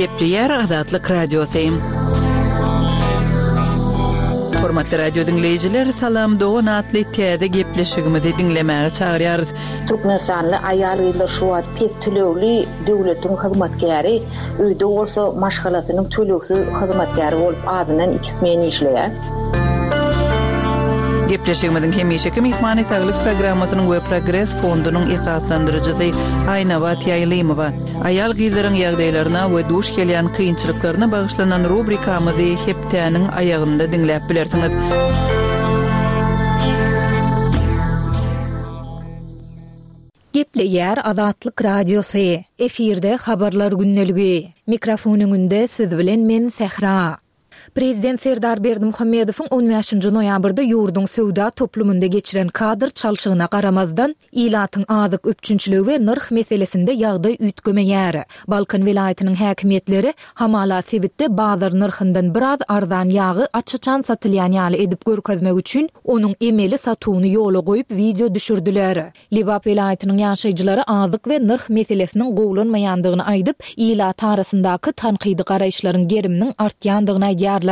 Gepleýär Azatlyk Radiosy. Hormatly radio diňleýjiler, Salam dogan atly täze gepleşigimizi diňlemäge çagyrýarys. Türkmenistanly aýal-gyzlar şu wagt pes tölegli döwletiň hyzmatkäri, öýde bolsa maşgalasynyň tölegsiz hyzmatkäri bolup azyndan iki smen işleýär. Gepleşigimiziň hemişeki myhmany Saglyk programmasynyň we Progres fondunyň esaslandyryjysy Aýnabat Ýaýlymowa. Aýal-gyzlaryň ýagdaýlaryna we duş gelýän kynçylyklaryna bagyşlanan rubrikamyzy hepdäniň aýagynda diňläp bilersiňiz. Gepleýär Azatlyk Radiosy, efirde Habarlar gündeligi. Mikrofon öňünde siz bilen men Sähra. Prezident Serdar Berdimuhamedowyň on bäşinji noýabrda ýurduň söwda toplumynda geçiren kadr çalşygyna garamazdan, ilatyň azyk üpjünçiligi we nyrh meselesinde ýagdaý üýtgemeýär. Balkan welaýatynyň häkimiýetleri, hamala sebitde bazar nyrhyndan biraz arzan ýagy aç-açan satylýan ýaly edip görkezmek üçin, onuň emeli satuwyny ýola goýup wideo düşürdiler. Lebap welaýatynyň ýaşaýjylary azyk we nyrh meselesiniň gowulanmaýandygyny aýdyp, ilat arasyndaky tankydy garaýyşlaryň geriminiň artýandygyny aýdýarlar.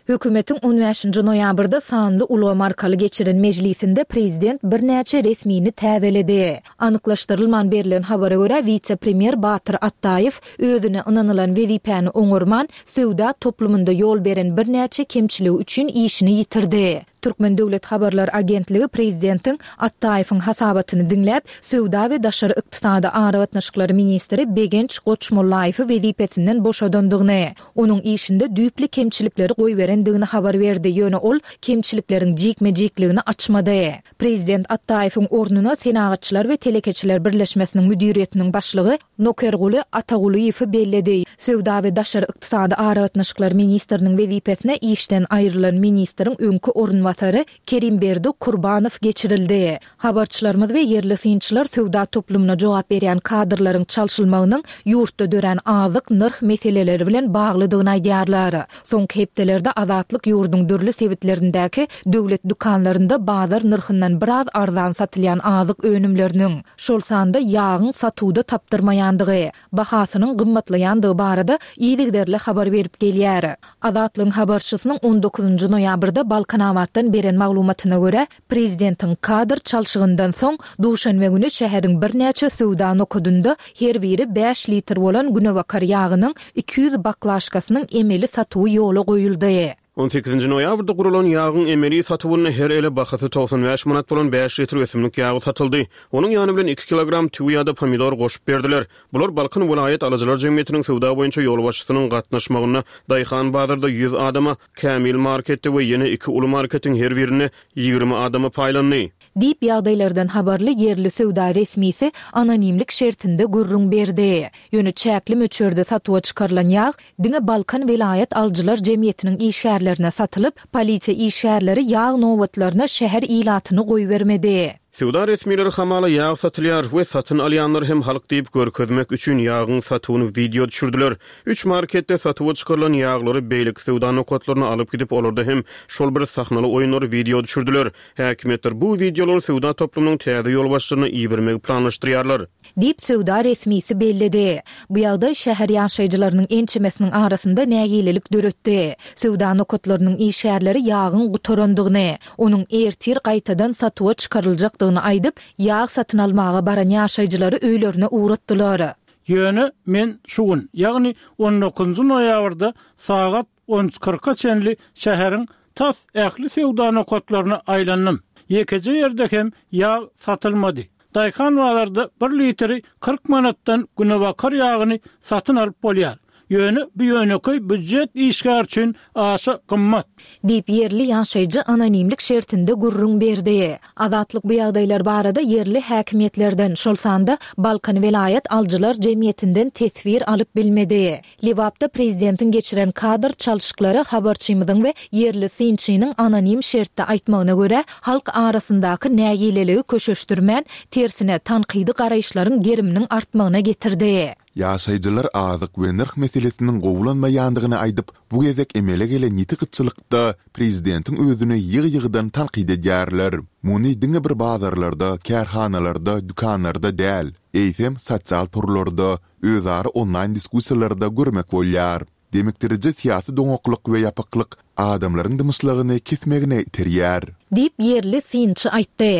Hökümetiň on bäşinji noýabrda sanly ulgam arkaly geçiren mejlisinde prezident birnäçe resmini täzeledi. Anyklaşdyrylman berlen habara görä, wise-premýer Batyr Atdaýew özüne ynanylan wezipäni oňarman, söwda toplumynda ýol beren birnäçe kemçiligi üçin işini ýitirdi. Türkmen döwlet habarlar agentligi prezidentiň Atdaýewiň hasabatyny diňläp, söwda we daşary ykdysady aragatnaşyklary ministri Begenç Goçmollaýewi wezipesinden boşadandygyny, onuň işinde düýpli kemçilikleri goýberendigini habar berdi, ýöne ol kemçilikleriň jikme-jikligini açmady. Prezident Atdaýewiň ornuna Senagatçylar we telekeçiler birleşmesiniň müdiriýetiniň başlygy Nokerguly Atagulyýewi belledi. Söwda we daşary ykdysady aragatnaşyklar ministriniň wezipesine işden aýrylan ministriň öňki orunbasary Kerimberdi Kurbanow geçirildi. Habarçylarymyz we ýerli synçylar söwda toplumyna jogap berýän kadrlaryň çalşylmagynyň ýurtda dörän azyk nyrh meseleleri bilen baglydygyny aýdýarlar. Soňky hepdelerde Azatlyk ýurduň dürli sebitlerindäki döwlet dükanlarynda bazar nyrhyndan biraz arzan satylýan azyk önümleriniň, şol sanda ýagyň satuwda tapdyrmaýandygy, bahasynyň gymmatlaýandygy barada yzygiderli habar berip gelýär. Azatlygyň habarçysynyň on dokuzynjy noýabrda Balkanabatdan beren maglumatyna görä, prezidentiň kadr çalşygyndan soň, duşenbe güni şäheriň birnäçe söwda nokadynda her biri bäş litr bolan günebakar ýagynyň 200 baklaşkasynyň emeli satuwy ýola goýuldy. On sekizinji noýabrda guralan ýagyň emeli satuwynda her ele bahasy 95 manat bolan bäş litr ösümlik ýagy satyldy. Onuň ýany bilen iki kilogram tüwi ýa-da pomidor goşup berdiler. Bular Balkan welaýat alyjylar jemgyýetiniň söwda boýunça ýolbaşçysynyň gatnaşmagynda Daýhan bazarda ýüz adama, Kämil marketde we ýene iki uly marketiň her birinde 20 adama paýlandy. Diýip, ýagdaýlardan habarly ýerli söwda resmisi anonimlik şertinde gürrüň berdi. Ýöne çäkli möçberde satuwa çykarylan ýag diňe Balkan welaýat alyjylar jemgyýetiniň işgärlerine satylyp, polisiýa işgärleri ýag nobatlaryna şäher ilatyny goýbermedi. Söwda resmileri hamala ýag satylýar we satyn alýanlar hem halk diýip görkezmek üçin ýagyň satuwyny wideo düşürdiler. Üç marketde satuwa çykarylan ýaglary beýleki söwda nokatlaryna alyp gidip olarda hem şol bir sahnaly oýunlary wideo düşürdiler. Häkimiýetler bu wideolary söwda toplumynyň täze ýolbaşçylaryna ibermegi planlaşdyrýarlar. Diýip, söwda resmisi belledi. Bu ýagdaý şäher ýaşaýjylarynyň ençemesiniň arasynda nägilelik döretdi. Söwda nokatlarynyň işgärleri ýagyň gutarandygyny, onuň ertir gaýtadan satuwa çykaryljakdygyny aýdyp, ýag satyn almaga baran ýaşaýjylary öýlerine ugratdylar. Ýöne men şu gün, ýagny on dokuzynjy noýabrda sagat on üç kyrka çenli şäheriň tas ähli söwda nokatlaryna aýlandym. Ýekeje ýerde hem ýag satylmady. Daýhan bazarda bir litri 40 manatdan günebakar ýagyny satyn alyp bolýar. Ýöne bu ýönekeý býujet işgäri üçin aşa gymmat. Diýip, ýerli ýaşaýjy anonimlik şertinde gürrüň berdi. Azatlyk bu ýagdaýlar barada ýerli häkimiýetlerden, şol sanda Balkan welaýat alyjylar jemgyýetinden teswir alyp bilmedi. Lebapda prezidentiň geçiren kadr çalşyklary habarçymyzyň we ýerli synçynyň anonim şertde aýtmagyna görä, halk arasyndaky nägileligi köşeşdirmän, tersine, tankydy garaýyşlaryň geriminiň artmagyna getirdi. Ýaşaýjylar azyk we nyrh meselesiniň gowulanmaýandygyny aýdyp, bu gezek emele gelen ýiti gytçylykda prezidentiň özüni ýygy-ýygydan tankyt edýärler. Muny diňe bir bazarlarda, kärhanalarda, dükanlarda däl, eýsem, sosial torlarda, özara onlaýn diskussiýalarda görmek bolýar. Demikdiriji syýasy doňaklyk we ýapyklyk adamlaryň dymyşlygyny kesmegine iterýär. Diýip, ýerli synçy aýtdy.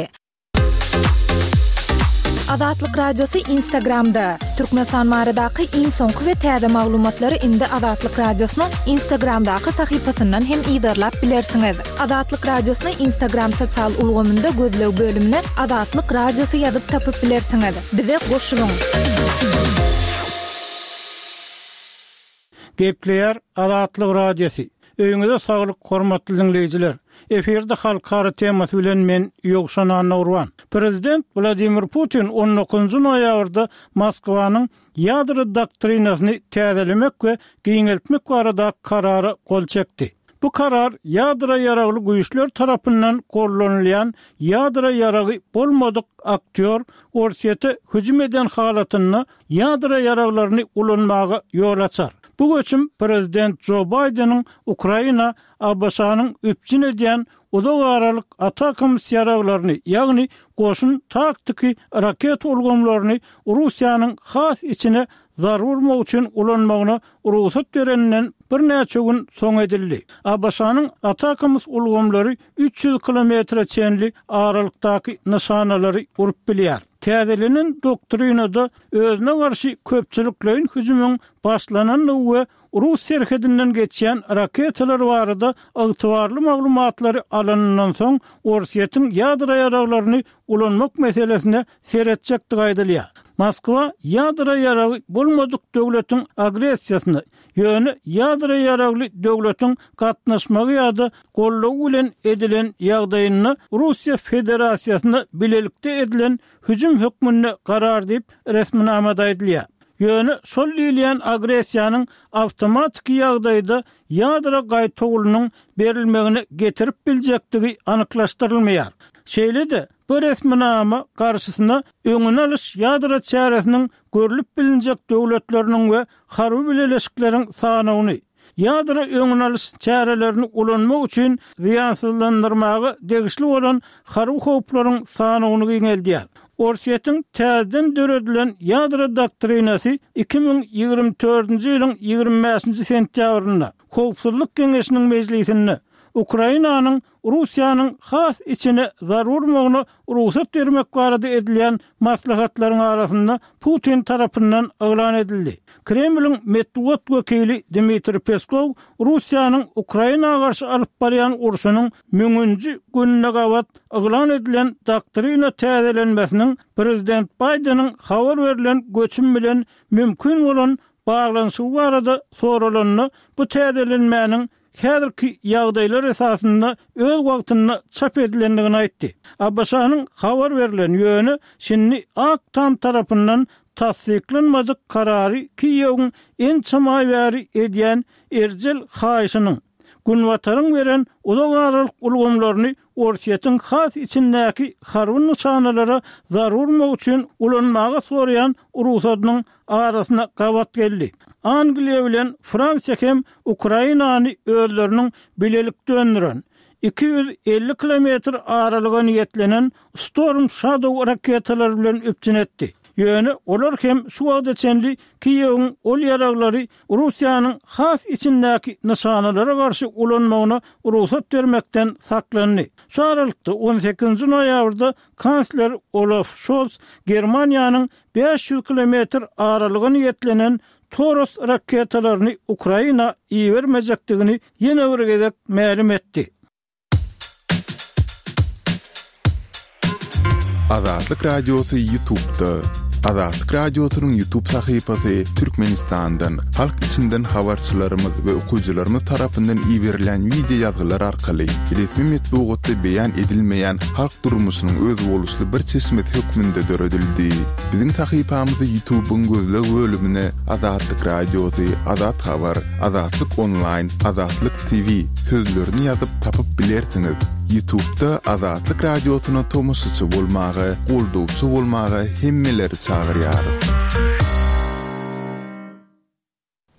Azatlyk Radiosy Instagramda, Türkmenistan baradaky iň soňky we täze maglumatlary indi Azatlyk Radiosynyň Instagramdaky sahypasyndan hem yzarlap bilersiňiz. Azatlyk Radiosyny Instagram sosial ulgamynda gözleg bölümine Azatlyk Radiosy ýazyp tapyp bilersiňiz. Bize goşulyň! Gepleýär Azatlyk Radiosy. Öýüňize saglyk hormatly diňleýjiler. Efirde halkara temasy bilen men Ýowşan Annagurban. Prezident Wladimir Putin on dokuzynjy noýabrda Moskwanyň ýadro doktrinasyny täzelemek we giňeltmek barada karara gol çekdi. Bu karar ýadro ýaragly güýçler tarapyndan gollanylýan ýadro ýaragy bolmadyk aktýor Orsýete hüjüm eden halatynda ýadro ýaraglaryny ulanmaga ýol açar. Bu göçüm prezident Jo Baýdeniň Ukraina ABŞ-nyň üpjün edýän uzak aralyk ATACMS ýaraglaryny, ýagny goşun taktiki raketa ulgamlaryny Russiýanyň has içine zarba urmak üçin ulanmagyna rugsat bereninden birnäçe gün soň edildi. ABŞ-nyň ATACMS ulgamlary 300 kilometre çenli aralykdaky nyşanalary urup bilýär. Täzelenen doktrinada özüne garşy köpçülikleýin hüjümiň başlanandygy we rus serhedinden geçýän raketalar barada ygtybarly maglumatlary alanyndan soň Orsýetiň ýadro ýaraglaryny ulanmak meselesine seretjekdigi aýdylýar. Moskwa ýadro ýaragy bolmadyk döwletiň agressiýasyna, ýöne ýadro ýaragly döwletiň gatnaşmagy ýa-da goldawy bilen edilen ýagdaýynda Russiýa Federasiýasyna bilelikde edilen hüjüm hökmünde garar diýip, resminamada aýdylýar. Ýöne şol diýilýän agressiýanyň awtomatiki ýagdaýda ýadro gaýtawulynyň berilmegine getirip biljekdigi anyklaşdyrylmaýar. Şeýle-de, bu resminama garşysyna öňüni alyş ýadro çäresiniň görlüp bilinjek döwletleriniň we harby bileleşikleriň sanawyny, ýadro öňüni alyş çärelerini ulanmak üçin zyýansyzlandyrmaga degişli bolan harby howplaryň sanawyny giňeldýär. Orsýetiň täzeden döredilen ýadro doktrinasy 2024-nji ýylyň 25-nji sentýabrynda Howpsuzlyk Geňeşiniň mejlisinde Ukrainanyň Russiýanyň has içine zarba urmagyna rugsat bermek barada edilýän maslahatlaryň arasynda Putin tarapyndan yglan edildi. Kremliň metbugat wekili Dmitriý Peskow Russiýanyň Ukraina garşy alyp barýan urşunyň müňünji gününe gabat yglan edilen doktrina täzelenmesiniň prezident Baýdeniň habar berlen göçüm bilen mümkin bolan baglanyşygy barada soralanda bu täzelenmäniň häzirki ýagdaýlar esasynda öz wagtynda çap edilendigini aýtdy. ABŞ-nyň habar berlen, ýöne şindi Ak Tam tarapyndan tassyklanmadyk karary Kiýewiň ençeme aý bäri edýän erjel haýyşynyň, Günbataryň beren uzak aralyk ulgamlaryny Orsýetiň has içindäki harby nyşanalara zarba urmak üçin ulanmaga soraýan rugsadynyň arasyna gabat geldi. Angliýa bilen Fransiýa hem Ukrainany özleriniň bilelikde öndüren, 250 kilometr aralyga niýetlenen Storm Shadow raketalary bilen üpjün etdi. Ýöne olar hem şu wagta çenli Kiýewiň ol ýaraglary Russiýanyň has içindäki nyşanalara garşy ulanmagyna rugsat bermekden saklandy. Şu aralykda, on sekizinji noýabrda kansler Olaf Şolz Germaniýanyň 500 kilometr aralyga niýetlenen Toros raketalaryny Ukraina ibermejekdigini ýene bir gezek mälim etdi. Azatlyk Radiosy Ýutubda. Azatlyk Radiosynyň Ýutub sahypasy Türkmenistandan, halk içinden habarçylarymyz we okyjylarymyz tarapyndan iberilen wideo ýazgylar arkaly resmi metbugatda beýan edilmeýän halk durmuşynyň özboluşly bir çeşmesi hökmünde döredildi. Biziň sahypamyzy Ýutubyň gözleg bölümine Azatlyk Radiosy, Azat Habar, Azatlyk Onlaýn, Azatlyk TV sözlerini ýazyp tapyp bilersiňiz. Ýutubda Azatlyk Radiosyna tomaşaçy bolmaga, goldawçy bolmaga hemmeleri çagyrýarys.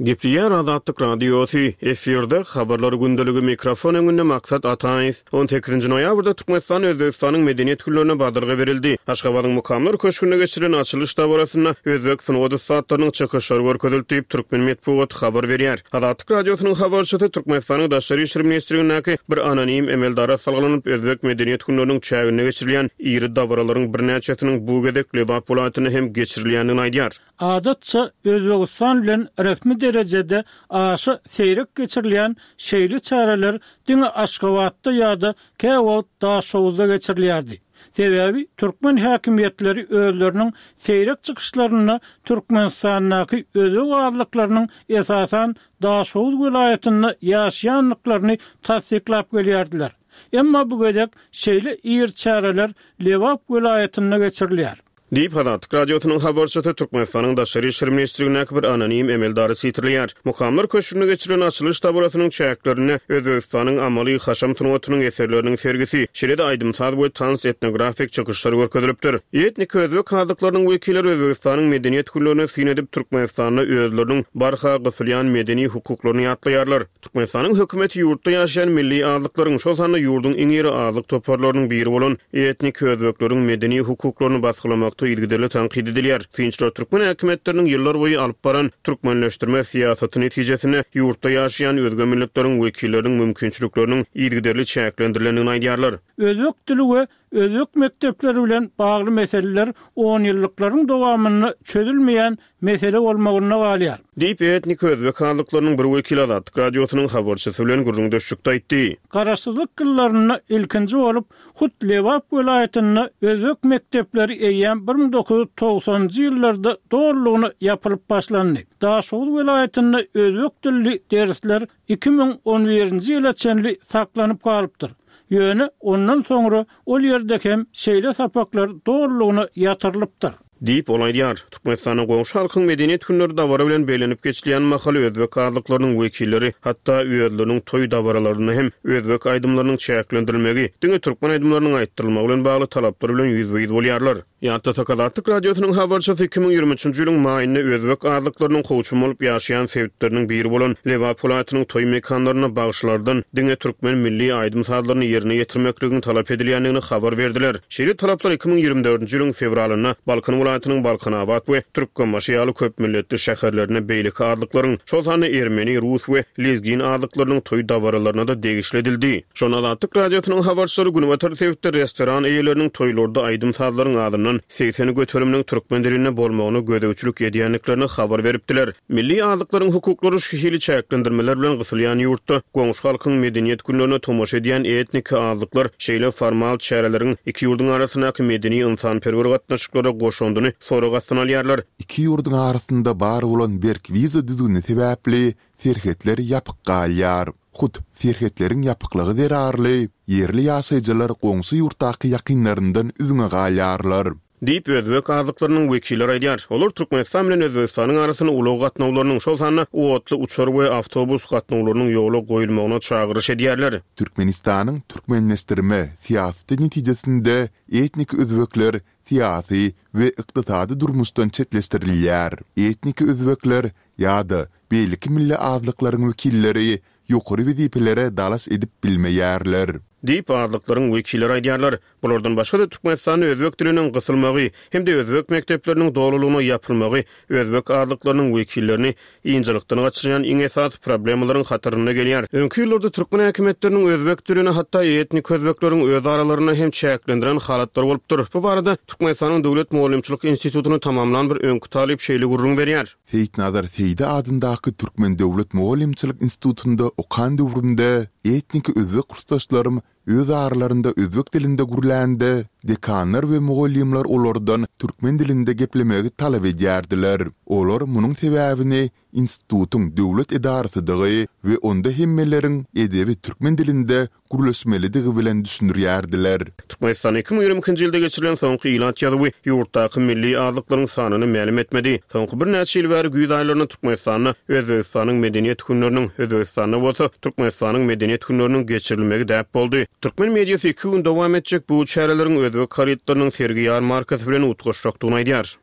Gepleýär Azatlyk Radiosy, efirde Habarlar gündeligi, mikrofon öňünde Maksat Ataýew. On sekizinji noýabrda Türkmenistan Özbegistanyň Medeniýet günlerine badalga berildi. Aşgabadyň Mukamlar köşgünde geçirilen açylyş dabarasynda özbek sungat ussatlarynyň çykyşlary görkezildi diýip, türkmen metbugaty habar berýär. Azatlyk Radiosynyň habarçysy Türkmenistanyň Daşary işler ministrligindäki bir anonim emeldara salgylanyp, özbek Medeniýet günleriniň çäginde geçirilýän iri dabaralaryň birnäçesiniň bu gezek Lebap welaýatynda hem geçirilýändigini aýdýar. Adatça, Özbegistan bilen resmi derejede aşa seýrek geçirilýän şeýle çäreler diňe Aşgabatda ýa-da käwagt Daşoguzda geçirilýärdi. Sebäbi türkmen häkimiýetleri özleriniň seýrek çykyşlarynda Türkmenistandaky özbek azlyklarynyň esasan Daşoguz welaýatynda ýaşaýandyklaryny tassyklap gelýärdiler. Emma bu gezek şeýle iri çäreler Lebap welaýatynda geçirilýär. Diýip, Azatlyk Radiosynyň habarçysy Türkmenistanyň Daşary işler ministrligindäki bir anonim emeldary sitirleýär. Mukamlar köşgünde geçirilen açylyş dabarasynyň çäklerinde Özbegistanyň amaly haşam sungatynyň eserleriniň sergisi, şeýle-de aýdym-saz we tans-etnografik çykyşlar görkezilipdir. Etniki özbek azlyklarynyň wekilleri Özbegistanyň Medeniýet günlerine syn edip, Türkmenistanda özleriniň barha gysylýan medeni hukuklaryny ýatlaýarlar. Türkmenistanyň hökümeti ýurtda ýaşaýan milli azlyklaryň, şol sanda ýurduň iň iri azlyk toparlarynyň biri bolan etniki özbekleriň medeni hukuklaryny basgylamakda yzygiderli tankyt edilýär. Synçylar türkmen häkimiýetleriniň ýyllarboýy alyp baran türkmenleşdirme syýasaty netijesinde ýurtda ýaşaýan özge milletleriň wekilleriniň mümkinçilikleriniň yzygiderli çäklendirilendigini aýdýarlar. Özbek dili we Özbek mekdepleri bilen bagly meseleler onýyllyklaryň dowamynda çözülmeýän mesele bolmagynda galýar. Diýip, etniki özbek azlyklarynyň bir wekili Azatlyk Radiosynyň habarçysy bilen gürrüňdeşlikde aýtdy. Garaşsyzlyk ýyllarynda ilkinji bolup, hut Lebap welaýatynda özbek mekdepleri eýýäm 1990-njy ýyllarda dolulygyna ýapylyp başlandy. Daşoguz welaýatynda özbek dilli dersler 2011-nji ýyla çenli saklanyp galypdyr. Ýöne ondan soňra ol ýerde hem şeýle sapaklar dolulygyna ýatyrylypdyr. Diýip, ol aýdýar. Türkmenistanda goňşy halkyň Medeniýet günleri dabara bilen bellenip geçilýän mahaly özbek azlyklarynyň wekilleri hatda özleriniň toý dabaralarynda hem özbek aýdymlarynyň çäklendirilmegi, diňe türkmen aýdymlarynyň aýtdyrylmagy bilen bagly talaplar bilen ýüzbe-ýüz bolýarlar. Ýatlasak, Azatlyk Radiosynyň habarçysy 2023-nji ýylyň maýynda özbek azlyklarynyň kowçum bolup ýaşaýan sebitleriniň biri bolan Lebap welaýatynyň toý mekanlarynda bagşylardan diňe türkmen milli aýdym-sazlaryny ýerine ýetirmekligiň talap edilýändigini habar berdiler. Şeýle talaplar 2024-nji ýylyň fewralynda Balkan welaýatynyň Balkanabat we Türkmenbaşy ýaly köpmilletli şäherlerinde beýleki azlyklaryň, şol sanda ermeni, rus we lezgin azlyklarynyň toý dabaralaryna-da degişli edildi. Şonda Azatlyk Radiosynyň habarçylary günbatar sebitde restoran eýeleriniň toýlarda aýdym-sazlaryň azyndan 80 göteriminiň türkmen dilinde bolmagyna gözegçilik edýändiklerini habar beripdiler. Milli azlyklaryň hukuklary şu hili çäklendirmeler bilen gysylýan ýurtda goňşy halkyň medeniýet günlerine tomaşa edýän etniki azlyklar şeýle formal çäreleriň iki ýurduň arasyndaky medeni-ynsanperwer gatnaşyklara goşandyny sorag astyna alýarlar. Iki ýurduň arasynda bar bolan berk wiza düzgüni sebäpli serhetler ýapyk galýar. Hut serhetleriň ýapyklygy zerarly, ýerli ýaşaýjylar goňşy ýurtdaky ýakynlaryndan üzňe galýarlar. Diýip, özbek azlyklarynyň wekilleri aýdýar. Olar Türkmenistan bilen Özbegistanyň arasynda ulag gatnawlarynyň, şol sanda otly, uçar we awtobus gatnawlarynyň ýola goýulmagyna çagyryş edýärler. Türkmenistanyň türkmenleşdirme syýasaty netijesinde etnik özbekler syýasy we ykdysady durmuşdan çetleşdirilýär. Etnik özbekler ýa-da beýleki milli azlyklaryň wekilleri ýokary wezipelere dalaş edip bilmeýärler. Diýip, azlyklaryň wekilleri aýdýarlar. Bulardan başga-da, Türkmenistanda özbek diliniň gysylmagy hem-de özbek mekdepleriniň dolulygyna ýapylmagy özbek azlyklarynyň wekillerini ynjalykdan gaçyrýan iň esasy problemalaryň hatarynda gelýär. Öňki ýyllarda türkmen häkimiýetleriniň özbek dilini hatda etnik özbekleriň öz aralarynda hem çäklendiren halatlary bolupdyr. Bu barada Türkmenistanyň Döwlet mugallymçylyk institutyny tamamlan bir öňki talyp şeýle gürrüň berýär. Seýitnazar Seýdi adyndaky Türkmen döwlet mugallymçylyk institutynda okan döwrümde etniki özbek kursdaşlarym öz aralarynda özbek dilinde gürlände, dekanlar we mugallymlar olardan türkmen dilinde geplemegi talap edýärdiler. Olar munuň sebäbini institutyň döwlet edarasydygy we onda hemmeleriň edebi türkmen dilinde gürleşmelidigi bilen düşündirýärdiler. Türkmenistanda 2022-nji ýylda geçirilen soňky ilat ýazuwy ýurtdaky milli azlyklaryň sanyny mälim etmedi. Soňky birnäçe ýyl bäri güýz aýlarynda Türkmenistanda Özbegistanyň Medeniýet günleriniň, Özbegistanda bolsa Türkmenistanyň Medeniýet günleriniň geçirilmegi däp boldy. Türkmen mediasy iki gün dowam etjek bu çäreleriň özbek harytlarynyň sergi-ýarmarkasy bilen utgaşjakdygyny aýdýar.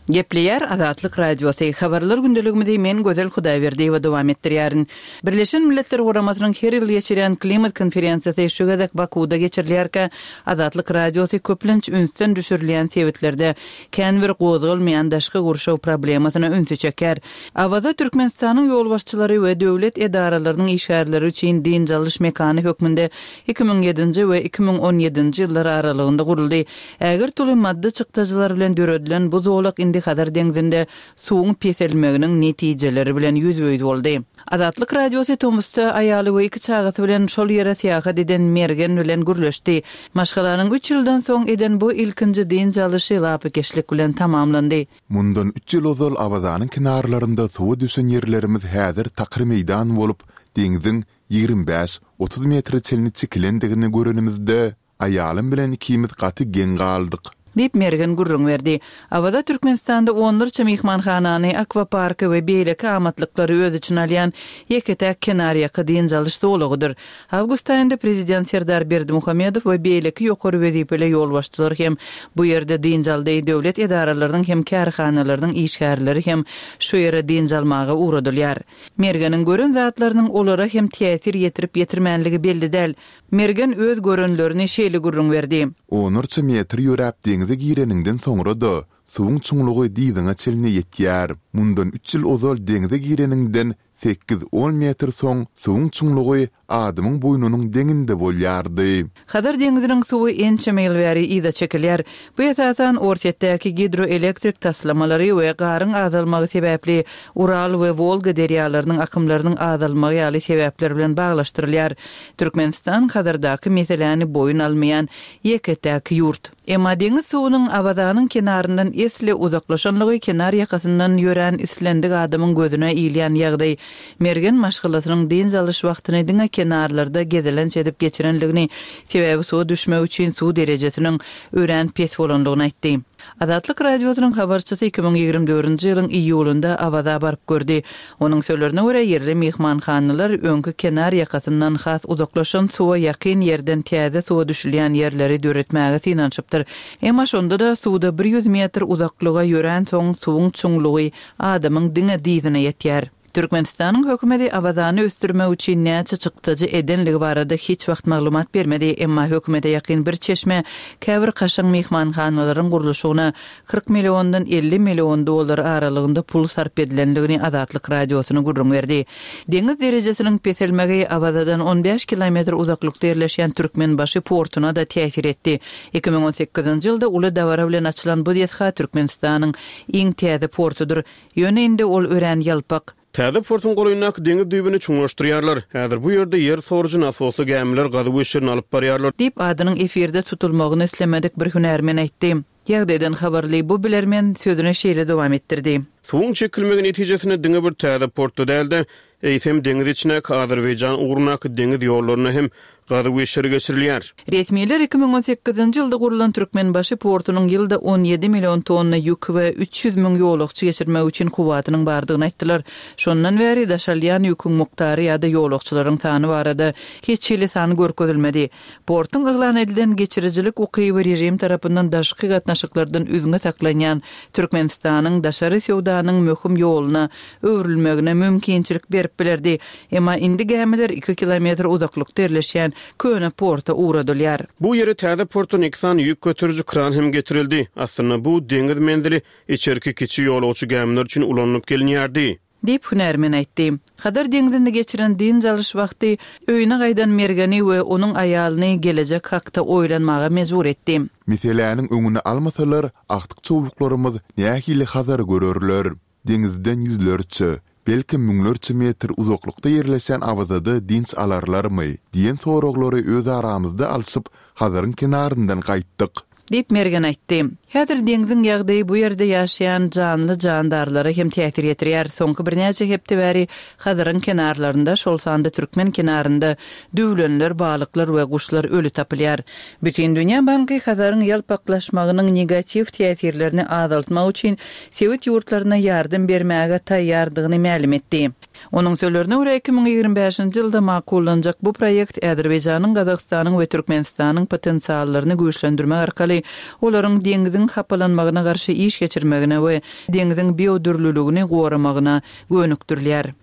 Gepleýär Azatlyk Radiosy, Habarlar gündeligimizi men Gözel Hudaýberdiýewa dowam etdirýärin. Birleşen Milletler Guramasynyň her ýyl geçirýän klimat konferensiýasy şu gezek Bakuwda geçirilýärkä, Azatlyk Radiosy köplenç ünsden düşürilýän sebitlerde kän bir gozgalmaýan daşky gurşaw problemasyna ünsi çekýär. Awaza Türkmenistanyň ýolbaşçylary we döwlet edaralarynyň işgärleri üçin dynç alyş mekany hökmünde 2007-nji we 2017-nji ýyllar aralygynda guruldy. Ägirt uly maddy çykdajylar bilen döredilen bu zolak indi Hazar deňzinde suwuň peselmeginiň netijeleri bilen ýüzbe-ýüz boldy. Azatlyk Radiosy tomusda aýaly we iki çagasy bilen şol ýere syýahat eden Mergen bilen gürleşdi. Maşgalanyň üç ýyldan soň eden bu ilkinji dynç alyşy lapykeçlik bilen tamamlandy. Mundan üç ýyl ozal Awazanyň kenarlarynda suwa düşen ýerlerimiz häzir takyr meýdan bolup, deňziň 25, 30 metre çenli çekilendigini görenimizde, Aýalym bilen ikimiz gaty geň galdyk. Diýip, Mergen gürrüň berdi. Awaza Türkmenistanda onlarça myhmanhanany, akwaparky we beýleki amatlyklary öz içine alýan ýeke-täk kenarýaka dynç alyş zolagydyr. Awgust aýynda prezident Serdar Berdimuhamedow we beýleki ýokary wezipeli ýolbaşçylar hem bu ýerde dynç aldy, döwlet edaralarynyň hem kärhanalarynyň işgärleri hem şu ýere dynç almaga ugradylýar. Mergeniň gören zatlarynyň olara hem täsir ýetirip-ýetirmänligi belli däl. Mergen öz görenlerini şeýle gürrüň berdi. Onlarça metr ýöräp deňze gireniňden soňra-da, suwuň çuňlugy dyzyňa çenli ýetýär. Mundan üç ýyl ozal deňze gireniňden sekiz-on metr soň suwuň çuňlugy adamyň boýnunyň deňinde bolýardy. Hazar deňziniň suwy ençeme ýyl bäri yza çekilýär. Bu esasan Orsýetdäki gidroelektrik taslamalary we garyň azalmagy sebäpli Ural we Wolga derýalarynyň akymlarynyň azalmagy ýaly sebäpler bilen baglaşdyrylýar. Türkmenistan Hazardaky meseläni boýun almaýan ýeke-täk ýurt. Emma deňiz suwunyň Awazanyň kenaryndan esli uzaklaşanlygy kenar ýakasyndan ýörän islendik adamyň gözüne ilýän ýagdaý. Mergen maşgalasynyň dynç alyş wagtyny diňe kenarlarda gezelenç edip geçirenligini, sebäbi suwa düşmek üçin suw derejesiniň örän pes bolanlygyny aýtdy. Azatlyk Radiosynyň habarçysy 2024-nji ýylyň iýulynda Awaza baryp gördi. Onuň sözlerine görä, ýerli myhmanhanalar öňki kenar ýakasyndan has uzaklaşan suwa ýakyn ýerden täze suwa düşülýän ýerleri döretmäge synanyşypdyr. Emma şonda-da suwda bir ýüz metr uzaklyga ýöränsoň suwuň çuňlugy adamyň diňe dyzyna ýetýär. Türkmenistanyň hökümeti Awazany ösdürmek üçin näçe çykdajy edenligi barada hiç wagt maglumat bermedi, emma hökümete ýakyn bir çeşme käbir kaşaň myhmanhanalaryň gurluşygyna 40 milliondan 50 million dollar aralygynda pul sarp edilenligini Azatlyk Radiosyna gürrüň berdi. Deňiz derejesiniň peselmegi Awazadan on bäş kilometr uzaklykda ýerleşýän Türkmenbaşy portuna-da täsir etdi. 2018-nji ýylda uly dabara bilen açylan bu desga Türkmenistanyň iň täze portudyr. Ýöne indi ol örän ýalpak. Täze portuň golaýyndaky deňiz düýbüni çuňlaşdyrýarlar. Häzir bu ýerde ýer sorujy nasosly gämiler gazuw işlerini alyp barýarlar. Diýip, adynyň efirde tutulmagyny islemedik bir hünärmen aýtdy. Ýagdaýdan habarly bu bilermen sözüni şeýle dowam etdirdi. Suwuň çekilmegi netijesinde diňe bir täze portda däl-de, eýsem, deňiz içindäki Azerbaýjan ugrundaky deňiz ýollarynda hem gazuw işleri geçirilýär. Resmiler 2018-nji ýylda gurlan Türkmenbaşy portunyň ýylda 17 million tonna ýük we 300 müň ýolagçy geçirmek üçin kuwwatynyň bardygyny aýtdylar. Şondan bäri daşalýan ýüküň mukdary ýa-da ýolagçylaryň sany barada hiç hili san görkezilmedi. Portuň yglan edilen geçirijilik ukyby režim tarapyndan daşky gatnaşyklardan üzňe saklanýan Türkmenistanyň daşary söwdanyň möhüm ýoluna öwrülmegine mümkinçilik berip bilerdi. Emma indi gämiler iki kilometr uzaklykda ýerleşýän köne porta ugradylýar. Bu ýere täze portdan iki sany ýük göteriji kran hem getirildi. Aslynda bu deňiz menzili içerki kiçi ýolagçy gämiler üçin ulanylyp gelinýärdi. Diýip, hünärmen aýtdy. Hazar deňzinde geçiren dynç alyş wagty öýüne gaýdan Mergeni we onuň aýalyny gelejek hakda oýlanmaga mejbur etdi. Meseläniň öňüni almasalar, agtyk-çowluklarymyz nähili Hazary görerler? Deňizden ýüzlerçe, belkem müňlerçe metr uzaklykda ýerleşen Awazada dynç alarlarmy? diýen soraglary öz aramyzda alşyp, Hazaryň kenaryndan gaýtdyk. Diýip, Mergen aýtdy. Häzir deňziň ýagdaýy bu ýerde ýaşaýan janly-jandarlara hem täsir ýetirýär. Soňky birnäçe hepde bäri Hazaryň kenarlarynda, şol sanda türkmen kenarynda düwlenler, balyklar we guşlar öli tapylýar. Bütindünýä banky Hazaryň ýalpaklaşmagynyň negatiw täsirlerini azaltmak üçin sebit ýurtlaryna ýardam bermäge taýýardygyny mälim etdi. Onuň sözlerine görä, 2025-nji ýylda makullanjak bu proýekt Azerbaýjanyň, Gazagystanyň we Türkmenistanyň potensiallaryny güýçlendirmek arkaly olaryň deňziň hapalanmagyna garşy iş geçirmegine we deňziň biodürlüligini goramagyna gönükdirilýär.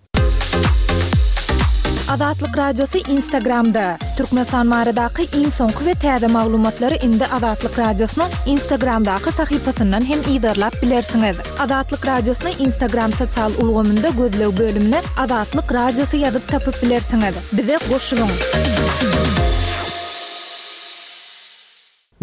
Azatlyk Radiosy Instagramda, Türkmenistan baradaky iň soňky we täze maglumatlary indi Azatlyk Radiosynyň Instagramdaky sahypasyndan hem yzarlap bilersiňiz. Azatlyk Radiosyny Instagram sosial ulgamynda gözleg bölümine Azatlyk Radiosy ýazyp tapyp bilersiňiz. Bize goşulyň!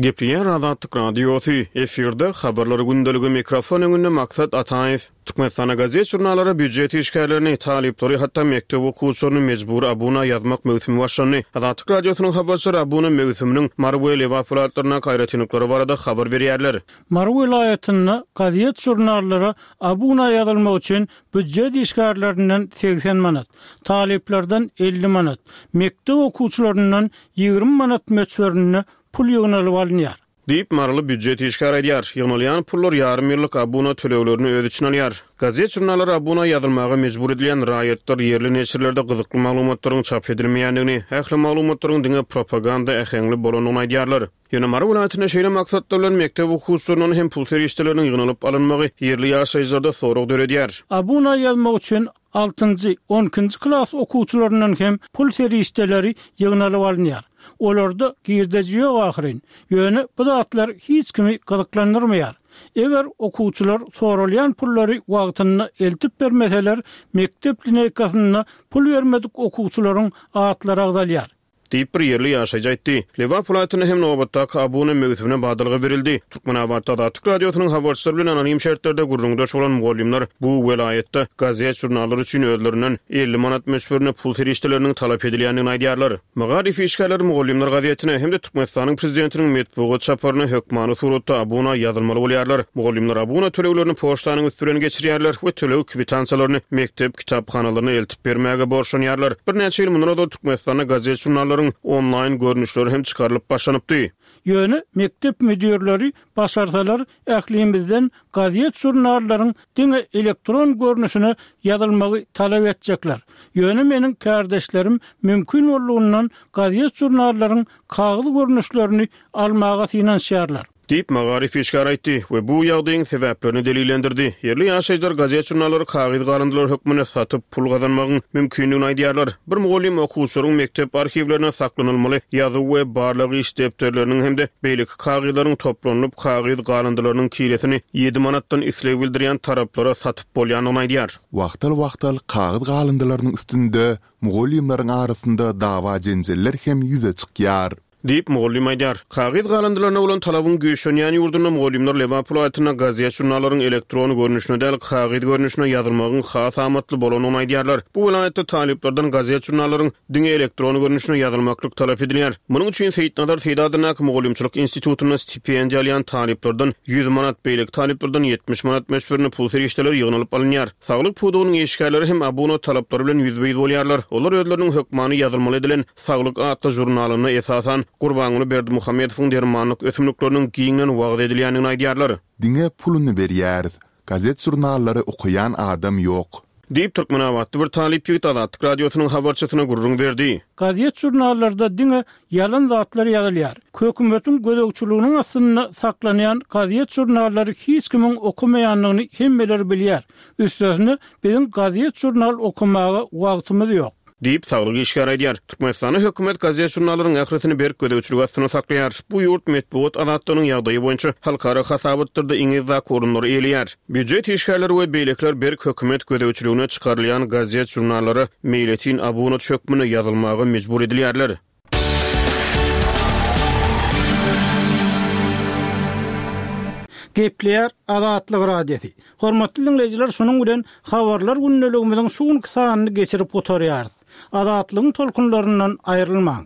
Gepleýär Azatlyk Radiosy, efirde Habarlar gündeligi mikrofon öňünde Maksat Ataýew. Türkmenistanda gazet-žurnallara býujet işgärlerini, talyplary, hatda mekdep okuwçylaryny mejbury abuna ýazmak möwsümi başlandy. Azatlyk Radiosynyň habarçylary abuna möwsüminiň Mary we Lebap welaýatlaryndaky aýratynlyklary barada habar berýärler. Mary welaýatynda gazet-žurnallara abuna ýazylmak üçin býujet işgärlerinden 80 manat, talyplardan 50 manat, mekdep okuwçylaryndan 20 manat möçberinde pul ýygnalyp alynýar. Diýip, maryly býujet işgäri aýdýar. Ýygnalýan pullar ýarym ýyllyk abuna töleglerini öz içine alýar. Gazet-žurnallara abuna ýazylmaga mejbur edilýän raýatlar ýerli neşirlerde gyzykly maglumatlaryň çap edilmeýändigini, ähli maglumatlaryň diňe propaganda äheňli bolandygyny aýdýarlar. Ýöne Mary welaýatynda şeýle maksatlar bilen mekdep okuwçylaryndan hem pul serişdeleriniň ýygnalyp alynmagy ýerli ýaşaýjylarda sorag döredýär. Abuna ýazmak üçin altynjy, on ikinji klas okuwçylaryndan hem pul serişdeleri ýygnalyp alynýar. Olarda girdeji ýok ahyryn. Ýöne bu zatlar hiç kimi gyzyklandyrmaýar. Eger okuwçylar soralýan pullary wagtynda eltip bermeseler, mekdep lineýkasynda pul bermedik okuwçylaryň atlary agzalýar. Diýip, bir ýerli ýaşaýjy aýtdy. Lebap welaýatynda hem nobatdaky abuna möwsümine badalga berildi. Türkmenabatda Azatlyk Radiosynyň habarçylary bilen anonim şertlerde gürrüňdeş bolan mugallymlar bu welaýatda gazet-žurnallar üçin özlerinden 50 manat möçberinde pul serişdeleriniň talap edilýändigini aýdýarlar. Magaryf işgärleri Mugallymlar gazetine hem-de Türkmenistanyň Prezidentiniň metbugat çaparyna hökmany suratda abuna ýazylmaly bolýarlar. Mugallymlar abuna töleglerini poçtanyň üsti bilen geçirýärler we töleg kwitansiýalaryny mekdep kitaphanalaryna eltip bermäge borçlanýarlar. Birnäçe ýyl mundan ozal Türkmenistanda gazet-žurnallaryň onlaýn görnüşleri hem çykarylyp başlanypdy. Ýöne mekdep müdirleri başarsalar ählimizden gazet-žurnallaryň diňe elektron görnüşine ýazylmagy talap etjekler. Ýöne meniň kärdeşlerim mümkin boldugyndan gazet-žurnallaryň kagyz görnüşlerini almaga synanyşýarlar. Diýip, magaryf işgäri aýtdy we bu ýagdaýyň sebäplerini delillendirdi. Ýerli ýaşaýjylar gazet-žurnallary kagyz galyndylary hökmünde satyp, pul gazanmagyň mümkindigini aýdýarlar. Bir mugallym okuwçylaryň mekdep arhiwlerinde saklanylmaly ýazuw we barlag iş depderleriniň hem-de beýleki kagyzlaryň toplanylyp, kagyz galyndylarynyň kilesini ýedi manatdan isleg bildirýän taraplara satyp bolýandygyny aýdýar. Wagtal-wagtal kagyz galyndylarynyň üstünde mugallymlaryň arasynda dawa-jenjeller hem ýüze çykýar. Diýip, mugallym aýdýar. Kagyz galyndylaryna bolan talabyň güýçlenýän ýurdunda mugallymlar Lebap welaýatynda gazet-žurnallaryň elektron görnüşine däl, kagyz görnüşine ýazylmagyň has amatly bolandygyny aýdýarlar. Bu welaýatda talyplardan gazet-žurnallaryň diňe elektron görnüşine ýazylmaklyk talap edilýär. Munuň üçin Seýitnazar Seýdi adyndaky mugallymçylyk institutynda stipendiýa alýan talyplardan 100 manat, beýleki talyplardan 70 manat möçberinde pul serişdeleri ýygnalyp alynýar. Saglyk pudagynyň işgärleri hem abuna talaplary bilen ýüzbe-ýüz bolýarlar. Olar özleriniň hökmany ýazylmaly edilen Saglyk atly žurnalynda esasan Gurbanguly Berdimuhamedowyň dermanlyk ösümlikleriniň giňden wagyz edilýändigini aýdýarlar. Diňe puluny berýäris. Gazet-žurnallary okaýan adam ýok. Diýip, türkmenabatly bir talyp ýigit Azatlyk Radiosynyň habarçysyna gürrüň berdi. Gazet-žurnallarda diňe ýalan zatlar ýazylýar. Hökümetiň gözegçiliginiň astynda saklanýan gazet-žurnallary hiç kimiň okamaýandygyny hemmeler bilýär. Üstesine, biziň gazet-žurnal okamaga wagtymyz ýok. Diýip, saglyk işgäri aýdýar. Türkmenistanda hökümet gazet-žurnallaryň ählisini berk gözegçilik astynda saklaýar. Bu ýurt metbugat azatlygynyň ýagdaýy boýunça halkara hasabatlarda iň yzdaky orunlary eýeleýär. Býujet işgärleri we beýlekiler berk hökümet gözegçiligine çykarylýan gazet-žurnallara meýletin abunaçy hökmünde ýazylmaga mejbur edilýärler. Gepleýär Azatlyk Radiosy. Hormatly diňleýjiler şunuň bilen Habarlar gündeligimiziň şu günki sanyny geçirip gutarýarys. Azatlygyň tolkunlaryndan aýrylmaň.